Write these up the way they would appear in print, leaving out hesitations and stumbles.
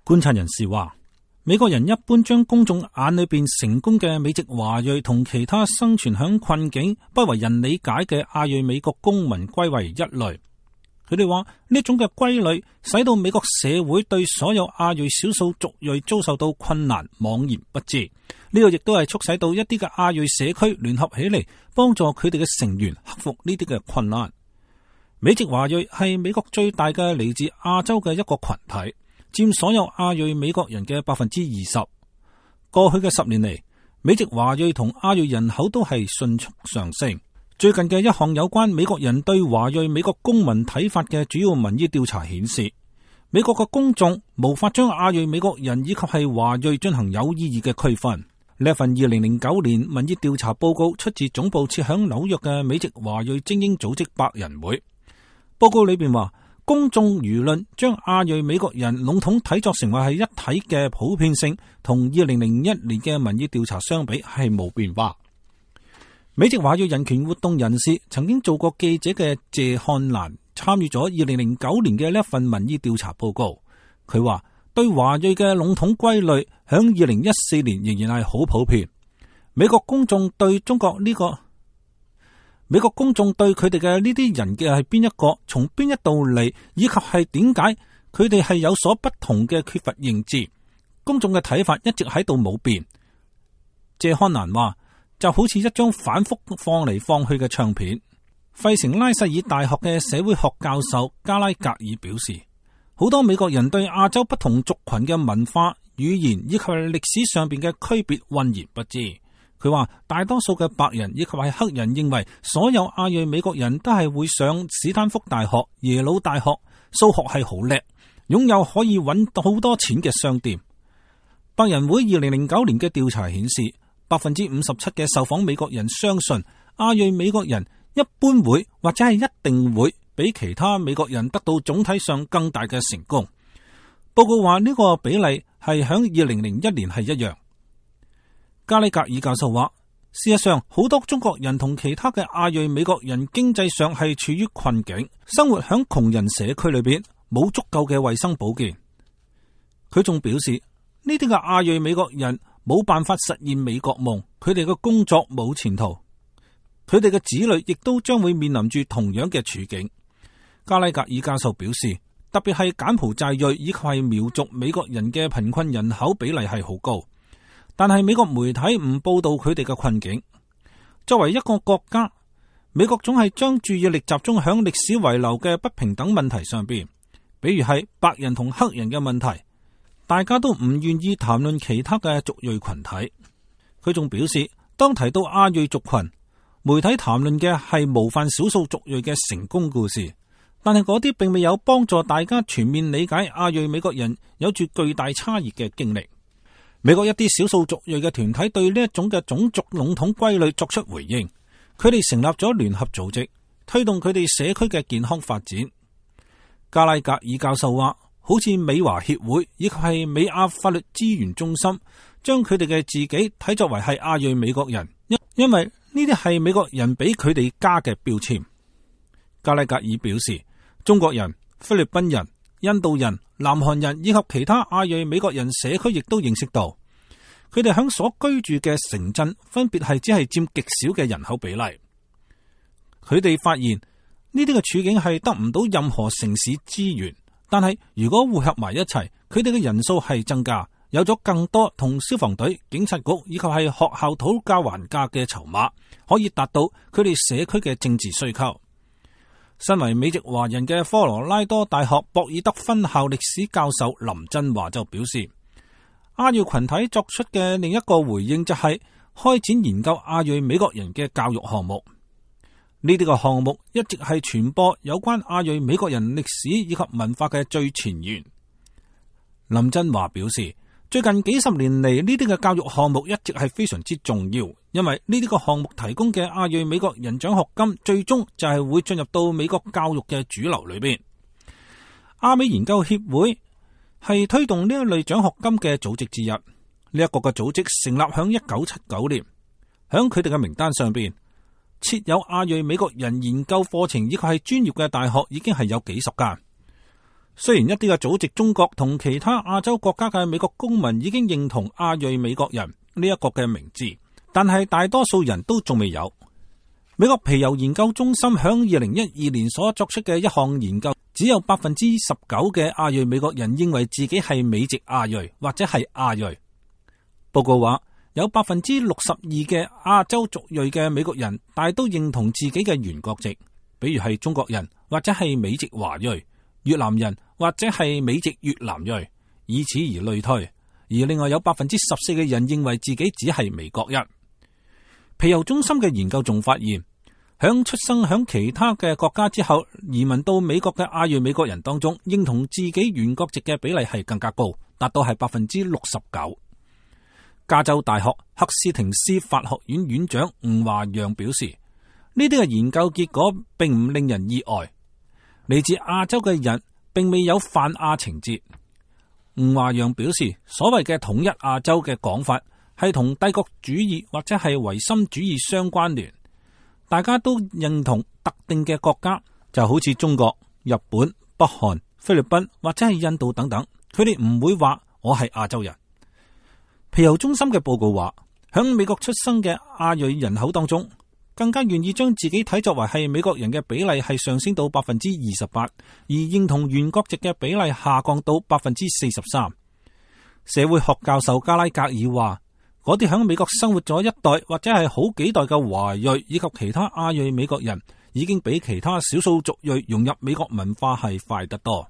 觀察人士話，美國人一般將公眾眼裏邊成功嘅美籍華裔同其他生存響困境、不為人理解嘅亞裔美國公民歸為一類。佢哋話呢種嘅歸類使到美國社會對所有亞裔少數族裔遭受到困難茫然不知。呢個亦都係促使到一啲嘅亞裔社區聯合起嚟，幫助佢哋嘅成員克服呢啲嘅困難。美籍華裔係美國最大嘅嚟自亞洲嘅一個群體，佔所有亞裔美國人嘅20%。過去嘅10年嚟，美籍華裔同亞裔人口都係迅速上升。最近嘅一項有關美國人對華裔美國公民睇法嘅主要民意調查顯示，美國嘅公眾無法將亞裔美國人以及係華裔進行有意義嘅區分。呢份2009年民意調查報告出自總部設響紐約嘅美籍華裔精英組織百人會。報告裏邊話，公眾輿論將亞裔美國人籠統睇作成為係一體嘅普遍性，同2001年嘅民意調查相比係冇變化。美籍華裔人權活動人士曾經做過記者嘅謝漢蘭參與咗2009年嘅呢一份民意調查報告。佢話對華裔嘅籠統歸類響2014年仍然係好普遍。美國公眾對佢哋嘅呢啲人嘅係邊一個，從邊一度嚟，以及係點解佢哋係有所不同嘅缺乏認知，公眾嘅睇法一直喺度冇變。謝漢蘭話，就好似一張反覆放嚟放去嘅唱片。費城拉塞爾大學嘅社會學教授加拉格爾表示，好多美國人對亞洲不同族群嘅文化、語言以及歷史上邊嘅區別渾然不知。佢話大多數嘅白人以及係黑人認為所有亞裔美國人都係會上史丹福大學、耶魯大學，數學係好叻，擁有可以揾到好多錢嘅商店。白人會2009年嘅調查顯示，57%嘅受訪美國人相信亞裔美國人一般會或者係一定會比其他美國人得到總體上更大嘅成功。報告話呢個比例係響2001年係一樣。加里格爾教授話，事實上好多中國人同其他嘅亞裔美國人經濟上係處於困境，生活響窮人社區裏邊，冇足夠嘅衛生保健。佢仲表示呢啲嘅亞裔美國人冇辦法實現美國夢，佢哋嘅工作冇前途，佢哋嘅子女亦都將會面臨住同樣嘅處境。加拉格爾教授表示，特別係柬埔寨裔以及係苗族美國人嘅貧困人口比例係好高，但係美國媒體唔報道佢哋嘅困境。作為一個國家，美國總係將注意力集中響歷史遺留嘅不平等問題上邊，比如係白人同黑人嘅問題，大家都唔願意談論其他嘅族裔群體。佢仲表示，當提到亞裔族群，媒體談論嘅係模範少數族裔嘅成功故事，但係嗰啲並未有幫助大家全面理解亞裔美國人有住巨大差異嘅經歷。美國一啲少數族裔嘅團體對呢一種嘅種族籠統歸類作出回應，佢哋成立咗聯合組織，推動佢哋社區嘅健康發展。加拉格爾教授話，好似美華協會以及係美亞法律資源中心，將佢哋嘅自己睇作為係亞裔美國人，因為呢啲係美國人俾佢哋加嘅標籤。加拉格爾表示，中國人、菲律賓人、印度人、南韓人以及其他亞裔美國人社區亦都認識到，佢哋響所居住嘅城鎮分別係只係佔極少嘅人口比例。佢哋發現呢啲嘅處境係得唔到任何城市資源，但係如果匯合埋一齊，佢哋嘅人數係增加，有咗更多同消防隊、警察局以及係學校討價還價嘅籌碼，可以達到佢哋社區嘅政治需求。身為美籍華人嘅科羅拉多大學博爾德分校歷史教授林振華就表示，亞裔群體作出嘅另一個回應就係開展研究亞裔美國人嘅教育項目。呢啲個項目一直係傳播有關亞裔美國人歷史以及文化嘅最前沿。林振華表示，最近幾十年嚟，呢啲嘅教育項目一直係非常之重要，因為呢啲個項目提供嘅亞裔美國人獎學金最終就係會進入到美國教育嘅主流裏邊。亞美研究協會係推動呢一類獎學金嘅組織之一。呢一個嘅組織成立響1979年，響佢哋嘅名單上邊設有亞裔美國人研究課程以及係專業嘅大學已經係有幾十間。雖然一啲嘅祖籍中國同其他亞洲國家嘅美國公民已經認同亞裔美國人呢一個嘅名字，但係大多數人都仲未有。美國皮尤研究中心響2012年所作出嘅一項研究，只有 19% 嘅亞裔美國人認為自己係美籍亞裔或者係亞裔。報告話有 62% 嘅亞洲族裔嘅美國人大都認同自己嘅原國籍，比如係中國人或者係美籍華裔、越南人或者係美籍越南裔，以此而類推。而另外有 14% 嘅人認為自己只係美國人。皮尤中心嘅研究仲發現，響出生響其他嘅國家之後移民到美國嘅亞裔美國人當中，認同自己原國籍嘅比例係更加高，達到係 69%。加州大學赫斯廷斯法學院院長吳華陽表示，呢啲嘅研究結果並唔令人意外，嚟自亞洲嘅人並未有泛亞情節。吳華陽表示，所謂嘅統一亞洲嘅講法係同帝國主義或者係唯心主義相關聯，大家都認同特定嘅國家，就好似中國、日本、北韓、菲律賓或者係印度等等，佢哋唔會話我係亞洲人。皮尤中心嘅報告話，響美國出生嘅亞裔人口當中，更加願意將自己睇作為係美國人嘅比例係上升到 28%， 而認同原國籍嘅比例下降到 43%。社會學教授加拉格爾話，嗰啲響美國生活咗一代或者係好幾代嘅華裔以及其他亞裔美國人，已經比其他少數族裔融入美國文化係快得多。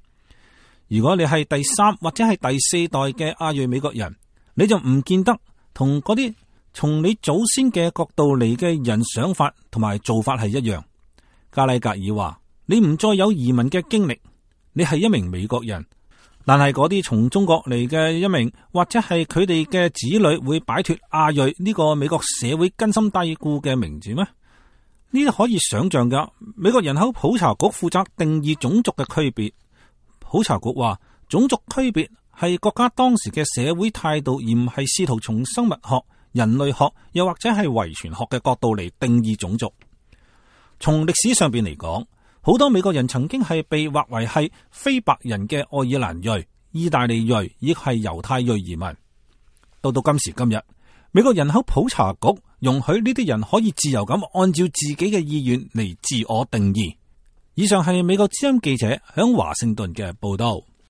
如果你係第3或者係第4代嘅亞裔美國人，你就唔見得同嗰啲從你祖先嘅角度嚟嘅人想法同埋做法係一樣。加拉格爾話，你唔再有移民嘅經歷，你係一名美國人，但係嗰啲從中國嚟嘅一名或者係佢哋嘅子女會擺脫亞裔呢個美國社會根深蒂固嘅名字咩？呢啲可以想象噶。美國人口普查局負責定義種族嘅區別。普查局話，種族區別係國家當時嘅社會態度，而唔係試圖從生物學、人類學又或者係遺傳學嘅角度嚟定義種族。從歷史上邊嚟講，好多美國人曾經係被劃為係非白人嘅愛爾蘭裔、意大利裔，亦係猶太裔移民。到今時今日，美國人口普查局容許呢啲人可以自由咁按照自己嘅意願嚟自我定義。以上係美國之音記者響華盛頓嘅報道。